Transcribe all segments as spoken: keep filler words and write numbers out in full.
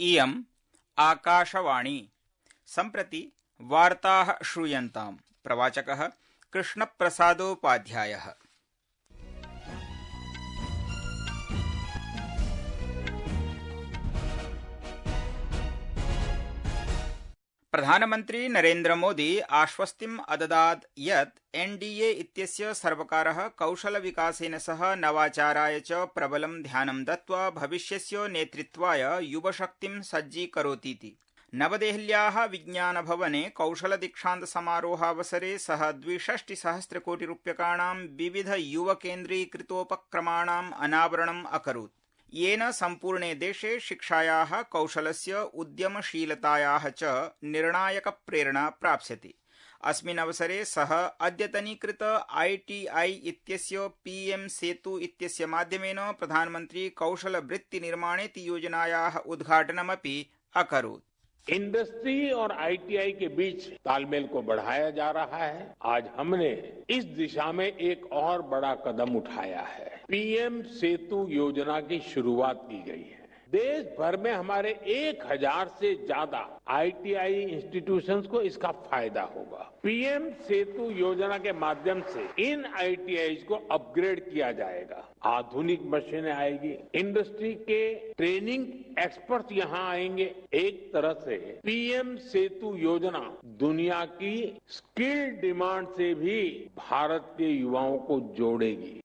इयम् आकाशवाणी। सम्प्रति वार्ताः श्रूयन्ताम्। प्रवाचकः कृष्णप्रसादोपाध्यायः। प्रधानमन्त्री नरेन्द्र मोदी आश्वस्तिम् अददात् यत् एनडीए इत्यस्य सर्वकारः कौशलविकासेन सह नवाचाराय च प्रबलं ध्यानं दत्त्वा भविष्यस्य नेतृत्वाय युवशक्तिं सज्जीकरोतीति। नवदेहल्याः विज्ञानभवने कौशलदीक्षान्तसमारोहावसरे सः द्विषष्टिसहस्रकोटिरूप्यकाणां विविधयुवकेन्द्रीकृतोपक्रमाणाम् अनावरणम् अकरोत्, येन सम्पूर्णे देशे शिक्षायाः, कौशलस्य, उद्यमशीलतायाः च निर्णायकप्रेरणा प्राप्स्यति। अस्मिन् अवसरे सः अद्यतनीकृत आईटीआई इत्यस्य पीएम सेतु इत्यस्य माध्यमेन प्रधानमन्त्री कौशलवृत्तिनिर्माणेति योजनायाः उद्घाटनमपि अकरोत्। इंडस्ट्री और आईटीआई के बीच तालमेल को बढ़ाया जा रहा है। आज हमने इस दिशा में एक और बड़ा कदम उठाया है। पीएम सेतु योजना की शुरुआत की गई है। देश भर में हमारे एक हजार से ज्यादा आईटीआई इंस्टीट्यूशंस को इसका फायदा होगा। पीएम सेतु योजना के माध्यम से इन आईटीआईज को अपग्रेड किया जाएगा। आधुनिक मशीनें आएगी, इंडस्ट्री के ट्रेनिंग एक्सपर्ट यहाँ आएंगे। एक तरह से पीएम सेतु योजना दुनिया की स्किल डिमांड से भी भारत के युवाओं को जोड़ेगी।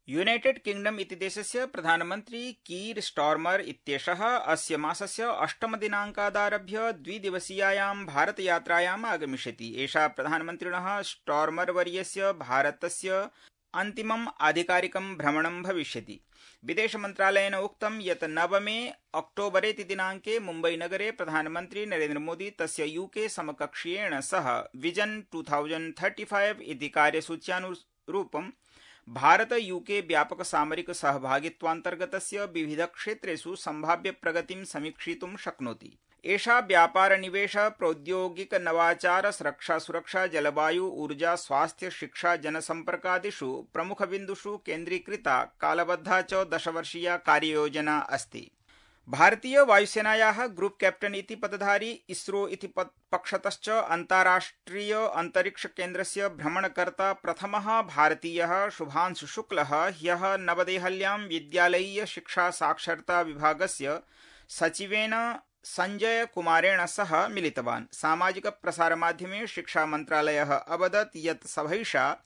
यूनाइटेड किंगडम इति देशस्य प्रधानमन्त्री कीर स्टार्मर इत्येषः अस्य मासस्य अष्टमदिनाङ्कादारभ्य द्विदिवसीयायां भारतयात्रायाम् आगमिष्यति। एषा प्रधानमन्त्रिणः स्टार्मरवर्यस्य भारतस्य अन्तिमम् आधिकारिकं भ्रमणं भविष्यति। विदेशमन्त्रालयेन उक्तं यत् नवमे अक्टोबरेति दिनाङ्के मुम्बईनगरे प्रधानमन्त्री नरेन्द्रमोदी तस्य यूके समकक्षीयेण सह vision two thousand thirty five इति कार्यसूच्यानुरूपं भारत यूके व्यापक सामरिक सहभागित्वान्तर्गतस्य विविध क्षेत्रेषु सम्भाव्य प्रगतिं समीक्षितुं शक्नोति। एषा व्यापार निवेश, प्रौद्योगिक नवाचार, रक्षा सुरक्षा, जलवायु, ऊर्जा, स्वास्थ्य, शिक्षा, जनसम्पर्कादिषु प्रमुखबिन्दुषु केन्द्रीकृता कालबद्धा च दशवर्षीया कार्ययोजना अस्ति। भारतीय वायुसेनायाः ग्रुप कैप्टन इति पदधारी इसरो इति पक्षतश्च अन्ताराष्ट्रिय अंतरिक्ष केन्द्रस्य भ्रमणकर्ता प्रथमः भारतीयः शुभांशु शुक्लः ह्यः नवदेहल्यां विद्यालयीय शिक्षा साक्षरता विभागस्य सचिवेन संजय कुमारेण सह मिलितवान्। सामाजिक प्रसारमाध्यमे शिक्षा मन्त्रालयः अवदत् यत् सभैषा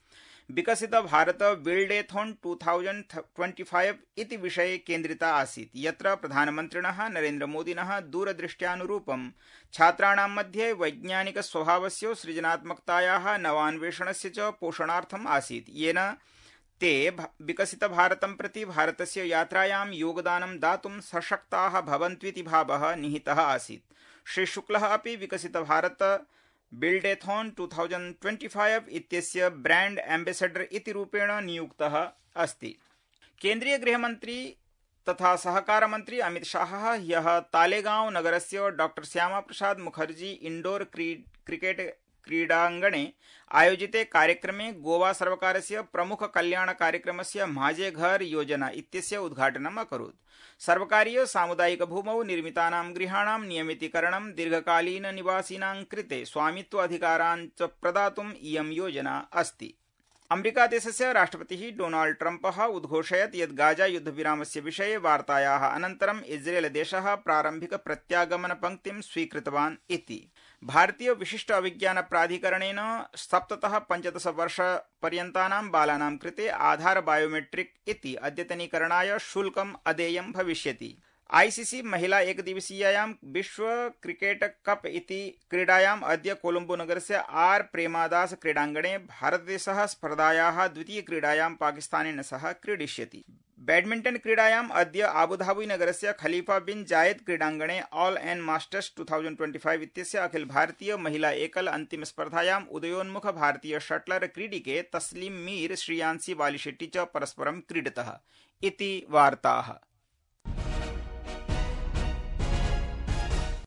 Viksit Bharat buildathon two thousand twenty five इति विषये केन्द्रिता आसीत्, यत्र प्रधानमन्त्रिणः नरेन्द्रमोदिनः दूरदृष्ट्यानुरूपं छात्राणां मध्ये वैज्ञानिक स्वभावस्य, सृजनात्मकतायाः, नवान्वेषणस्य च पोषणार्थम् आसीत्, येन ते विकसित भारतं प्रति भारतस्य यात्रायां योगदानं दातुं सशक्ताः भवन्त्विति भावः निहितः आसीत्। श्री शुक्लः अपि Viksit Bharat buildathon two thousand twenty five इत्यस्य ब्रांड एम्बेसेडर इति रूपेण नियुक्तः अस्ति। केन्द्रीय गृहमन्त्री तथा सहकार मन्त्री अमित शाहः ह्यः तालेगांव नगरस्य doctor Shyama Prasad Mukherjee indoor cricket क्रीडाङ्गणे आयोजिते कार्यक्रमे गोवा सर्वकारस्य प्रमुख कल्याण कार्यक्रमस्य माझे घर योजना इत्यस्य उद्घाटनम् अकरोत्। सर्वकारीय सामुदायिक भूमौ निर्मितानां गृहाणां नियमितीकरणं, दीर्घकालीन निवासिनां कृते स्वामित्व अधिकारान् च प्रदातुम् इयं योजना अस्ति। अमेरिकादेशस्य राष्ट्रपतिः डोनाल्ड ट्रम्पः उद्घोषयत् यत् गाजा युद्धविरामस्य विषये वार्तायाः अनन्तरम् इस्रेलदेशः प्रारम्भिक प्रत्यागमनपङ्क्तिं स्वीकृतवान् इति। भारतीय विशिष्ट अभिज्ञान प्राधिकरणेन सप्ततः पञ्चदश वर्षपर्यन्तानां बालानां कृते आधार बायोमेट्रिक इति अद्यतनीकरणाय शुल्कम् अदेयं भविष्यति। आईसीसी महिला एकदिवसीयायां विश्व क्रिकेट कप इति क्रीडायाम् अद्य कोलम्बो नगरस्य आर प्रेमादास क्रीडाङ्गणे भारतदेशः स्पर्धायाः द्वितीयक्रीडायां पाकिस्तानेन सह क्रीडिष्यति। बैडमिंटन क्रीडायाम् अद्य आबुधाबी नगरस्य खलीफा बिन जायद क्रीडाङ्गणे all and masters two thousand twenty five इत्यस्य अखिल भारतीय महिला एकल अंतिम स्पर्धायाम् उदयोन्मुख भारतीय शटलर क्रीडिके तस्लीम मीर, श्रियांसी वालीशेट्टी च परस्परं क्रीडतः इति वार्ताः।